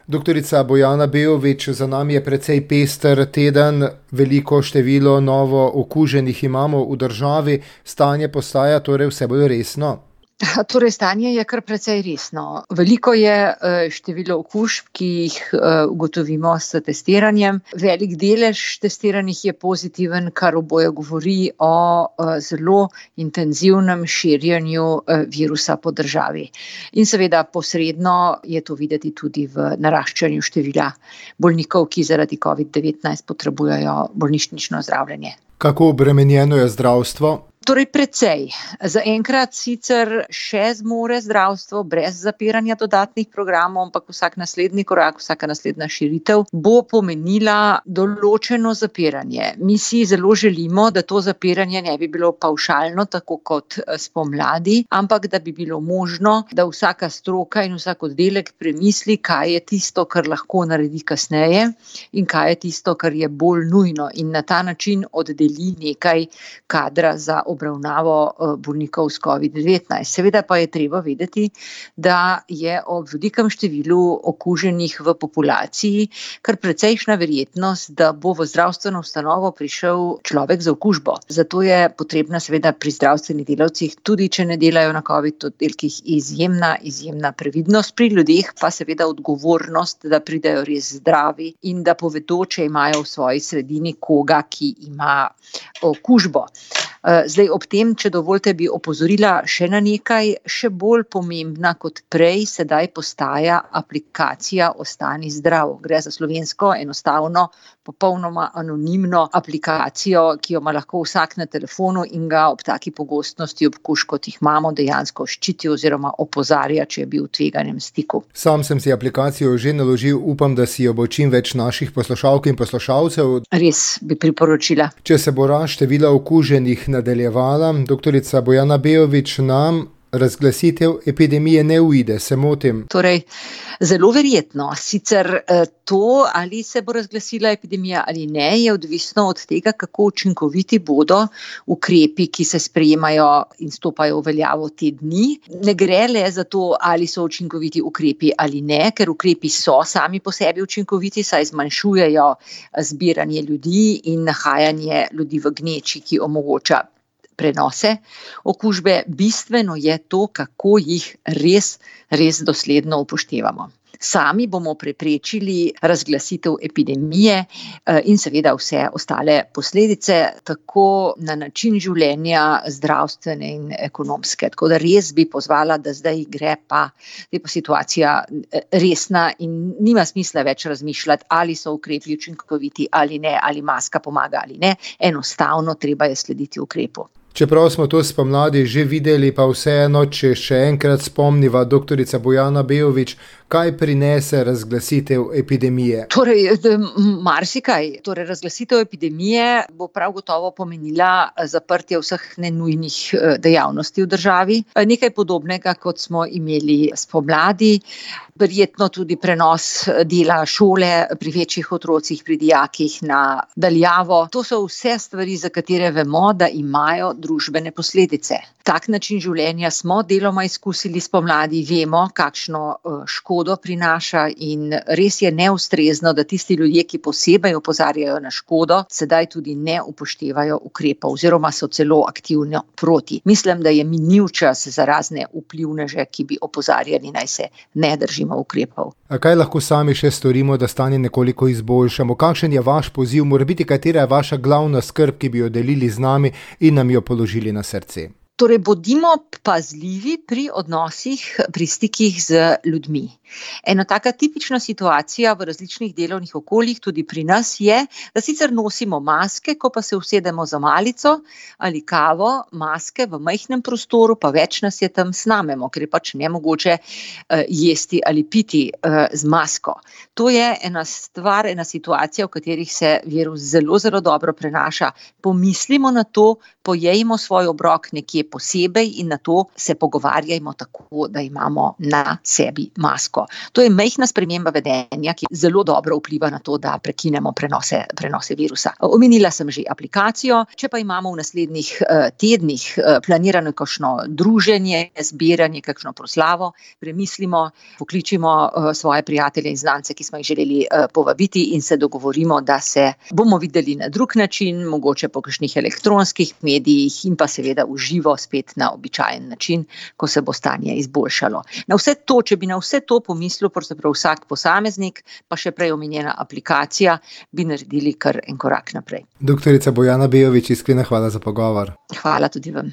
Doktorica Bojana Bejović, za nami je precej pester teden, veliko število novo okuženih imamo v državi, stanje postaja torej vse bolj resno. Torej, stanje je kar precej resno. Veliko je število okužb, ki jih ugotovimo s testiranjem. Velik delež testiranih je pozitiven, kar oboje govori o zelo intenzivnem širjenju virusa po državi. In seveda posredno je to videti tudi v naraščanju števila bolnikov, ki zaradi COVID-19 potrebujejo bolnišnično zdravljenje. Kako obremenjeno je zdravstvo? Torej precej. Zaenkrat sicer še zmore zdravstvo brez zapiranja dodatnih programov, ampak vsak naslednji korak, vsaka naslednja širitev bo pomenila določeno zapiranje. Mi si zelo želimo, da to zapiranje ne bi bilo pavšalno, tako kot spomladi, ampak da bi bilo možno, da vsaka stroka in vsak oddelek premisli, kaj je tisto, kar lahko naredi kasneje in kaj je tisto, kar je bolj nujno, in na ta način oddeli nekaj kadra za obravnavo bolnikov s COVID-19. Seveda pa je treba vedeti, da je ob velikem številu okuženih v populaciji kar precejšnja verjetnost, da bo v zdravstveno ustanovo prišel človek z okužbo. Zato je potrebna seveda pri zdravstvenih delavcih, tudi če ne delajo na COVID oddelkih, izjemna previdnost, pri ljudeh pa seveda odgovornost, da pridejo res zdravi in da povedo, če imajo v svoji sredini koga, ki ima okužbo. Zdaj ob tem, če dovolite, bi opozorila še na nekaj, še bolj pomembna kot prej, sedaj postaja aplikacija Ostani zdrav. Gre za slovensko, enostavno, popolnoma anonimno aplikacijo, ki jo ima lahko vsak na telefonu in ga ob taki pogostnosti okužb, kot jih imamo, dejansko ščiti oziroma opozarja, če je bil v tveganem stiku. Sam sem si aplikacijo že naložil, upam, da si jo bo čim več naših poslušalk in poslušalcev. Res bi priporočila. Če se bo rast števila okuženih nadaljevala, doktorica Bojana Bejović, nam razglasitev epidemije ne uide, se motim? Torej, zelo verjetno. Sicer to, ali se bo razglasila epidemija ali ne, je odvisno od tega, kako učinkoviti bodo ukrepi, ki se sprejemajo in stopajo v veljavo te dni. Ne gre le za to, ali so učinkoviti ukrepi ali ne, ker ukrepi so sami po sebi učinkoviti, saj zmanjšujejo zbiranje ljudi in nahajanje ljudi v gneči, ki omogoča prenose okužbe. Bistveno je to, kako jih res dosledno upoštevamo. Sami bomo preprečili razglasitev epidemije in seveda vse ostale posledice, tako na način življenja, zdravstvene in ekonomske. Tako da res bi pozvala, da zdaj je pa situacija resna in nima smisla več razmišljati, ali so ukrepi učinkoviti ali ne, ali maska pomaga ali ne. Enostavno treba je slediti ukrepu. Čeprav smo to spomladi že videli, pa vseeno, če še enkrat spomniva, doktorica Bojana Bejović, kaj prinese razglasitev epidemije? Torej, marsikaj. Torej, razglasitev epidemije bo prav gotovo pomenila zaprtje vseh nenujnih dejavnosti v državi. Nekaj podobnega, kot smo imeli spomladi. Verjetno tudi prenos dela šole pri večjih otrocih, pri dijakih na daljavo. To so vse stvari, za katere vemo, da imajo družbene posledice. Tak način življenja smo deloma izkusili spomladi, vemo, kakšno škodo prinaša in res je neustrezno, da tisti ljudje, ki posebej opozarjajo na škodo, sedaj tudi ne upoštevajo ukrepov oziroma so celo aktivno proti. Mislim, da je minil čas za razne vplivneže, ki bi opozarjali, naj se ne držimo ukrepov. A kaj lahko sami še storimo, da stanje nekoliko izboljšamo? Kakšen je vaš poziv? Morebiti, katera je vaša glavna skrb, ki bi jo delili z nami in nam jo položili na srce? Torej, bodimo pazljivi pri odnosih, pri stikih z ljudmi. Ena taka tipična situacija v različnih delovnih okoljih, tudi pri nas, je, da sicer nosimo maske, ko pa se usedemo za malico ali kavo, maske v majhnem prostoru, pa več nas je tam, snamemo, ker je pač nemogoče jesti ali piti z masko. To je ena stvar, ena situacija, v katerih se virus zelo, zelo dobro prenaša. Pomislimo na to, pojejmo svoj obrok nekje posebej in na to se pogovarjajmo tako, da imamo na sebi masko. To je majhna sprememba vedenja, ki zelo dobro vpliva na to, da prekinemo prenose virusa. Omenila sem že aplikacijo, če pa imamo v naslednjih tednih planirano kakšno druženje, zbiranje, kakšno proslavo, premislimo, pokličimo svoje prijatelje in znance poslance, ki smo jih želeli povabiti in se dogovorimo, da se bomo videli na drug način, mogoče po kakšnih elektronskih medijih in pa seveda v živo spet na običajen način, ko se bo stanje izboljšalo. Na vse to, če bi na vse to pomislil pravzaprav vsak posameznik, pa še prej omenjena aplikacija, bi naredili kar en korak naprej. Doktorica Bojana Bejović, iskrena hvala za pogovor. Hvala tudi vam.